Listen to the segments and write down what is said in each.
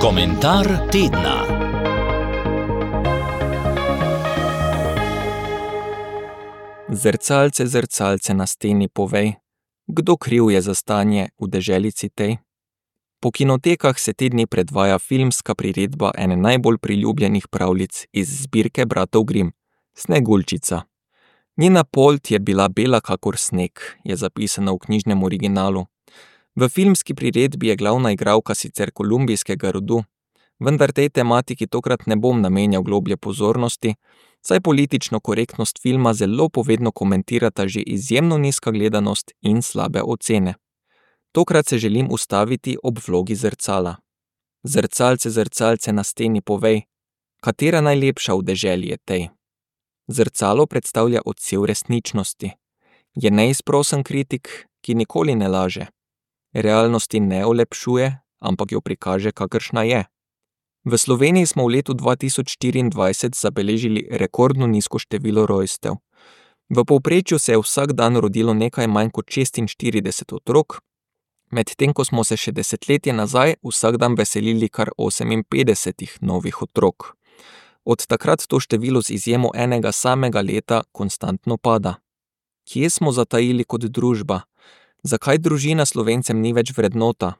Komentar tedna. Zrcalce, zrcalce na steni, povej, kdo kriv je za stanje v deželici tej? Po kinotekah se te dni predvaja filmska priredba ene najbolj priljubljenih pravljic iz zbirke bratov Grimm, Sneguljčica. Njena polt je bila bela kakor sneg, je zapisano v knjižnem originalu. V filmski priredbi je glavna igralka sicer kolumbijskega rodu, vendar tej tematiki tokrat ne bom namenjal globlje pozornosti, saj politično korektnost filma zelo povedno komentirata že izjemno nizka gledanost in slabe ocene. Tokrat se želim ustaviti ob vlogi zrcala. Zrcalce, zrcalce na steni, povej, katera najlepša v deželi je tej? Zrcalo predstavlja odsev resničnosti. Je neizprosen kritik, ki nikoli ne laže. Realnosti ne olepšuje, ampak jo prikaže, kakršna je. V Sloveniji smo v letu 2024 zabeležili rekordno nizko število rojstev. V povprečju se je vsak dan rodilo nekaj manj kot 46 otrok, medtem ko smo se še desetletje nazaj vsak dan veselili kar 58 novih otrok. Od takrat to število z izjemo enega samega leta konstantno pada. Kje smo zatajili kot družba? Zakaj družina Slovencem ni več vrednota?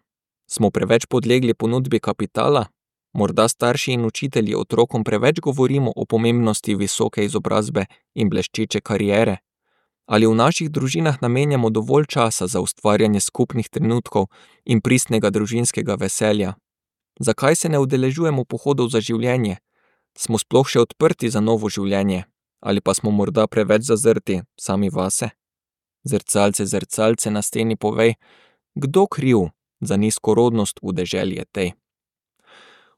Smo preveč podlegli ponudbi kapitala? Morda starši in učitelji otrokom preveč govorimo o pomembnosti visoke izobrazbe in bleščeče kariere? Ali v naših družinah namenjamo dovolj časa za ustvarjanje skupnih trenutkov in pristnega družinskega veselja? Zakaj se ne udeležujemo pohodov za življenje? Smo sploh še odprti za novo življenje? Ali pa smo morda preveč zazrti sami vase? Zrcalce, zrcalce na steni, povej, kdo kriv za nizko rodnost v deželi je tej?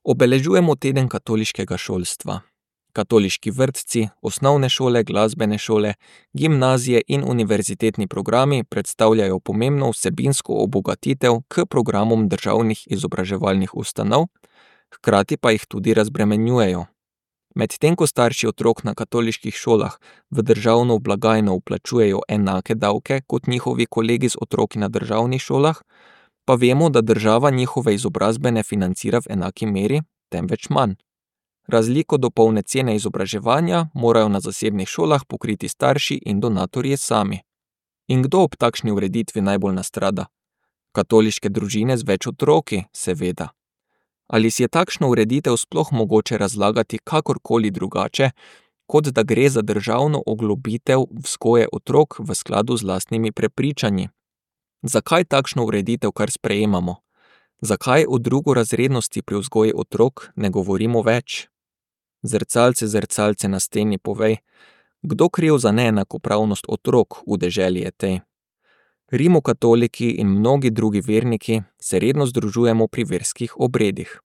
Obeležujemo teden katoliškega šolstva. Katoliški vrtci, osnovne šole, glasbene šole, gimnazije in univerzitetni programi predstavljajo pomembno vsebinsko obogatitev k programom državnih izobraževalnih ustanov, hkrati pa jih tudi razbremenjujejo. Medtem ko starši otrok na katoliških šolah v državno blagajno vplačujejo enake davke kot njihovi kolegi z otroki na državnih šolah, pa vemo, da država njihove izobrazbe ne financira v enaki meri, temveč manj. Razliko do polne cene izobraževanja morajo na zasebnih šolah pokriti starši in donatorji sami. In kdo ob takšni ureditvi najbolj nastrada? Katoliške družine z več otroki, seveda. Ali si je takšno ureditev sploh mogoče razlagati kakorkoli drugače, kot da gre za državno oglobitev vzgoje otrok v skladu z lastnimi prepričanji? Zakaj takšno ureditev kar sprejemamo? Zakaj o drugorazrednosti pri vzgoji otrok ne govorimo več? Zrcalce, zrcalce na steni, povej, kdo kriv za neenakopravnost otrok v deželi je tej? Rimokatoliki in mnogi drugi verniki se redno združujemo pri verskih obredih.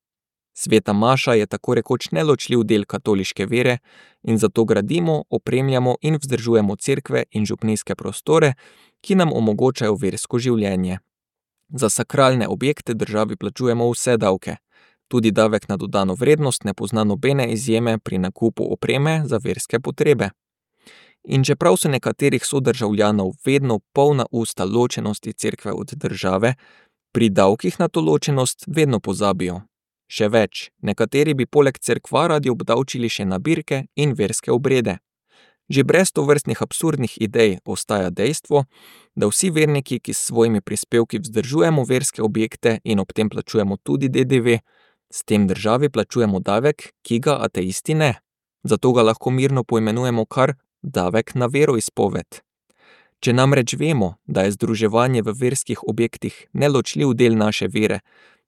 Sveta maša je tako rekoč neločljiv del katoliške vere in zato gradimo, opremljamo in vzdržujemo cerkve in župnijske prostore, ki nam omogočajo versko življenje. Za sakralne objekte državi plačujemo vse davke. Tudi davek na dodano vrednost ne pozna nobene izjeme pri nakupu opreme za verske potrebe. In čeprav so nekaterih sodržavljanov vedno polna usta ločenosti cerkve od države, pri davkih na to ločenost vedno pozabijo. Še več, nekateri bi poleg cerkva radi obdavčili še nabirke in verske obrede. Že brez tovrstnih absurdnih idej ostaja dejstvo, da vsi verniki, ki s svojimi prispevki vzdržujemo verske objekte in ob tem plačujemo tudi DDV, s tem državi plačujemo davek, ki ga ateisti ne. Zato ga lahko mirno poimenujemo kar davek na veroizpoved. Če namreč vemo, da je združevanje v verskih objektih neločljiv del naše vere,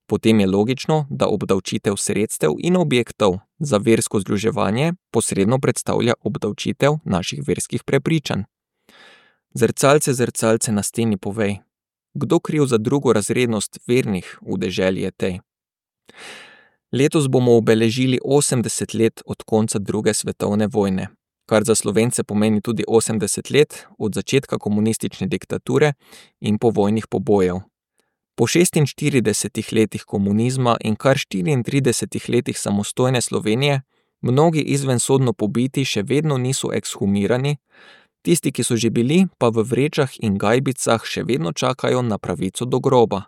potem je logično, da obdavčitev sredstev in objektov za versko združevanje posredno predstavlja obdavčitev naših verskih prepričanj. Zrcalce, zrcalce na steni, povej, kdo kriv za drugorazrednost vernih v deželi je tej? Letos bomo obeležili 80 let od konca druge svetovne vojne, kar za Slovence pomeni tudi 80 let od začetka komunistične diktature in povojnih pobojev. Po 46 letih komunizma in kar 34 letih samostojne Slovenije mnogi izvensodno pobiti še vedno niso ekshumirani, Tisti, ki so že bili, pa v vrečah in gajbicah še vedno čakajo na pravico do groba.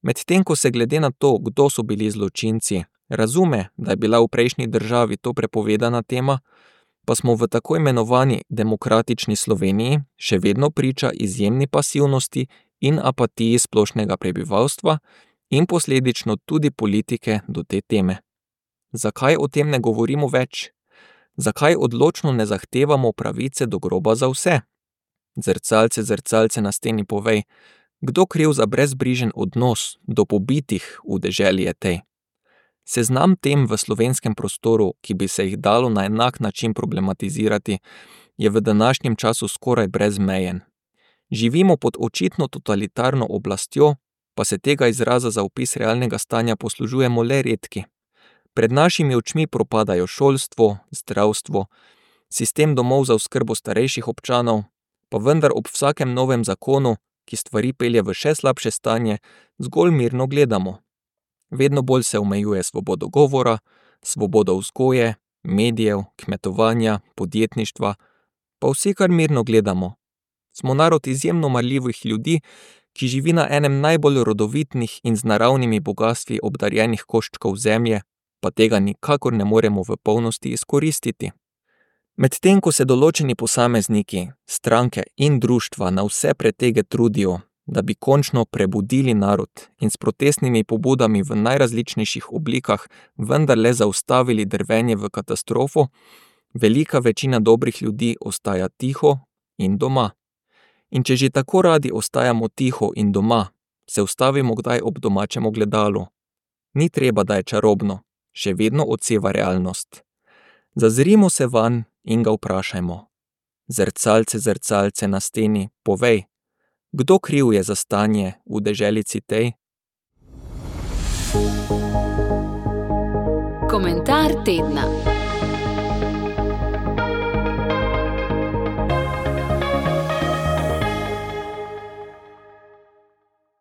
Medtem ko se glede na to, kdo so bili zločinci, razume, da je bila v prejšnji državi to prepovedana tema, pa smo v tako imenovani demokratični Sloveniji še vedno priča izjemni pasivnosti in apatiji splošnega prebivalstva in posledično tudi politike do te teme. Zakaj o tem ne govorimo več? Zakaj odločno ne zahtevamo pravice do groba za vse? Zrcalce, zrcalce na steni, povej, kdo kriv za brezbrižen odnos do pobitih v deželi je tej? Seznam tem v slovenskem prostoru, ki bi se jih dalo na enak način problematizirati, je v današnjem času skoraj brezmejen. Živimo pod očitno totalitarno oblastjo, pa se tega izraza za opis realnega stanja poslužujemo le redki. Pred našimi očmi propadajo šolstvo, zdravstvo, sistem domov za oskrbo starejših občanov, pa vendar ob vsakem novem zakonu, ki stvari pelje v še slabše stanje, zgolj mirno gledamo. Vedno bolj se omejuje svobodo govora, svobodo vzgoje, medijev, kmetovanja, podjetništva, pa vsi kar mirno gledamo. Smo narod izjemno marljivih ljudi, ki živi na enem najbolj rodovitnih in z naravnimi bogastvi obdarjenih koščkov zemlje, pa tega nikakor ne moremo v polnosti izkoristiti. Medtem ko se določeni posamezniki, stranke in društva na vse pretege trudijo, da bi končno prebudili narod in s protestnimi pobudami v najrazličnejših oblikah vendarle zaustavili drvenje v katastrofo, velika večina dobrih ljudi ostaja tiho in doma. In če že tako radi ostajamo tiho in doma, se ustavimo kdaj ob domačem ogledalu. Ni treba, da je čarobno, še vedno odseva realnost. Zazrimo se vanj in ga vprašajmo. Zrcalce, zrcalce na steni, povej, kdo kriv je za stanje v deželici tej? Komentar tedna.